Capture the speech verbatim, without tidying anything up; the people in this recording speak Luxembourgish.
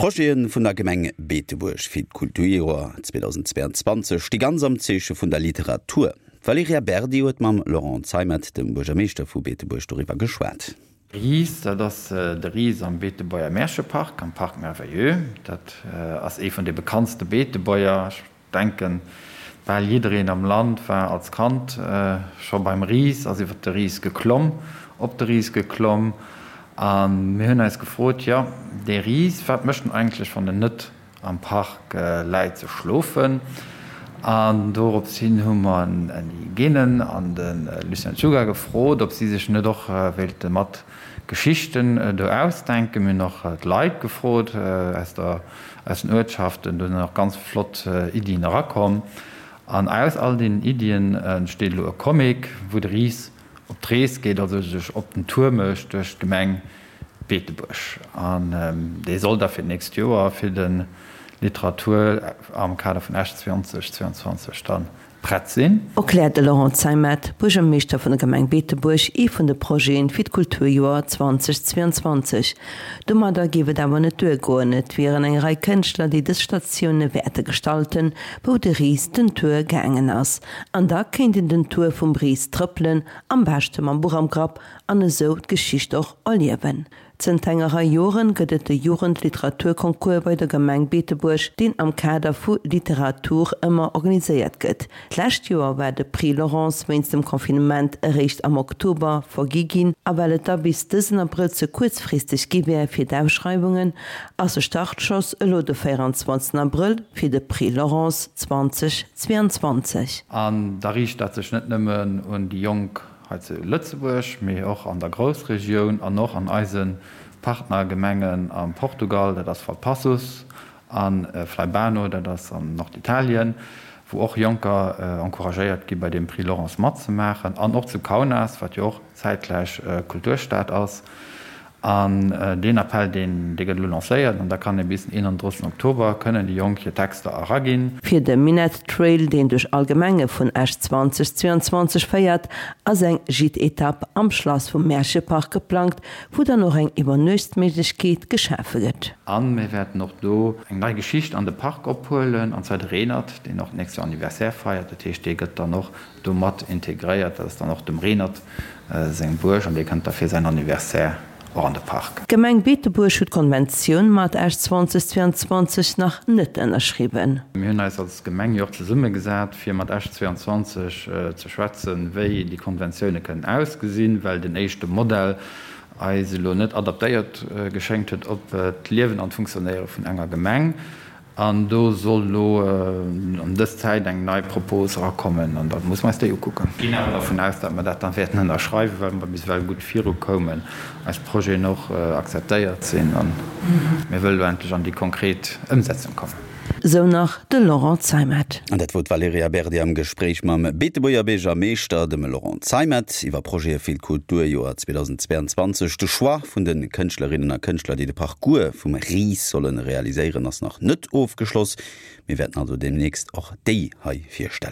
D'Projete vun der Gemeng Beetebuerg fir d'Kulturjoer zweedausendzweianzwanzeg sti ganz am Zeeche vun der Literatur. D'Valerija Berdi huet mam Laurent Zeimet, dem Buergermeeschter vu Beetebuerg, doriwwer geschwat. Ris, dat ass de Ris am Beetebuerger Märchepark, am Parc Merveilleux. Dat ass ee vun de bekanntste Beetebuerger. Ech denken, bal jiddereen am Land war als Kand scho beim Ris, ass iwwer de Ris geklomm, op de Ris geklomm. A mir hunn eis gefrot, jo, dee Ris, wat mécht en eigentlech, wann en net am Park läit ze schlofen? An dorops hin hu mer Andy Genen an de Lucien Czuga gefrot, ob si sech net och wéilte mat Geschichten do ausdenken. Mir hunn och d'Leit gefrot aus der, aus den Uertschaften. Do sinn och ganz flott Iddien erakomm. An aus all deenen Iddien entsteet elo e Comic, wou de Ris op d'Rees geet, also sech op den Tour mécht duerch d'Gemeng Beetebuerg. An dee soll da fir d'nächst Joer fir de Literatur am Kader vun Esch zweeanzeg zweianzwanzeg da prett sinn. Erkläert de Laurent Zeimet, Buergermeeschter vun der Gemeng Beetebuerg, ee vun de Projete fir d'Kulturjoer zweedausendzweianzwanzeg. Domadder géif et awer net duergoen, et wieren eng Rei Kënschtler, déi dës Statioune wäerte gestalten, wou de Ris den Tour gaangen ass. An da kéint een den Tour vum Ris trëppelen, am beschte mam Buch am Grapp, an esou d'Geschicht och erliewen. Zënter enger Rei Joren gëtt et de Jugendliteraturconcours bei der Gemeng Beetebuerg, deen am Kader vu Literatur ëmmer organiséiert gëtt. D'lescht Joer war de Prix Laurence wéinst dem Confinement eréischt am Oktober vergi ginn, a well et da bis dësen Abrëll ze kuerzfristeg gi wär fir d'Ausschreiwungen, ass de Startschoss elo de véierundzwanzegsten Abrëll fir de Prix Laurence zweedausendzweianzwanzeg. An da riicht dat sech net nëmmen un déi Jonk hei zu Lëtzebuerg, mee och an der Groussregioun an och an eise Partnergemengen am Portugal, dat ass Valpaços, a Flaibano, dat ass an Norditalien, wou och Jonker encouragéiert gi bei deem Prix Laurence matzemaachen, an och zu Kaunas, wat jo och zäitgläich Kulturstad ass. An deen Appell, deen, dee gëtt elo lancéiert an da kann ee bis den eenanddrëssigsten Oktober kënnen déi Jonk hir Texter eraginn. Fir de Minett Trail, deen duerch all Gemenge vun Esch zweedausendzweianzwanzeg féiert, ass eng Gîte-Etapp am Schlass vum Märchepark geplangt, wou dann och eng Iwwernuechtsméiglechkeet geschafe gëtt. A mir wäerten och do eng nei Geschicht an de Park ophuelen, an zwar de Renert, deen och d'nächst Joer Anniversaire feiert. Dat heescht, dee gëtt dann och do mat integréiert. Dat ass dann och dem Renert seng Buerg an dee kënnt da fir säin Anniversaire och an de Park. D'Gemeng Beetebuerg huet d'Konventioun mat Esch zweedausendzweianzwanzeg nach net ënnerschriwwen. Mir hunn eis als Gemeng jo och zesummegesat, fir mat Esch zweianzwanzeg ze schwätzen, wéi déi Konventioune kënnen ausgesinn, well den éischte Modell eis elo net adaptéiert geschéngt huet op d'Liewen an d'Funktionéiere vun enger Gemeng. An do soll elo an dës Zäit eng nei Propos erakommen an da musse mer eis déi ukucken. Ginn awer dervun aus, datt mer dat da wäerten ënnerschreiwen, well mer bis ewell gutt virukoumen, eis Projeten och akzeptéiert sinn a mir wëlle elo endlech an déi konkret Ëmsetzung kommen. Esou nach de Laurent Zeimet. An dat wor d'Valerija Berdi am Gespréich mam Beetebuerger Biergermeeschter, dem Laurent Zeimet, iwwer Projete fir d'Kulturjoer zweedausendzweianzwanzeg. De Choix vun de Kënschtlerinnen a Kënschtler, déi de Parcours vum Ris solle realiséieren, ass nach net ofgeschloss. Mir wäerten also deemnächst och déi hei virstellen.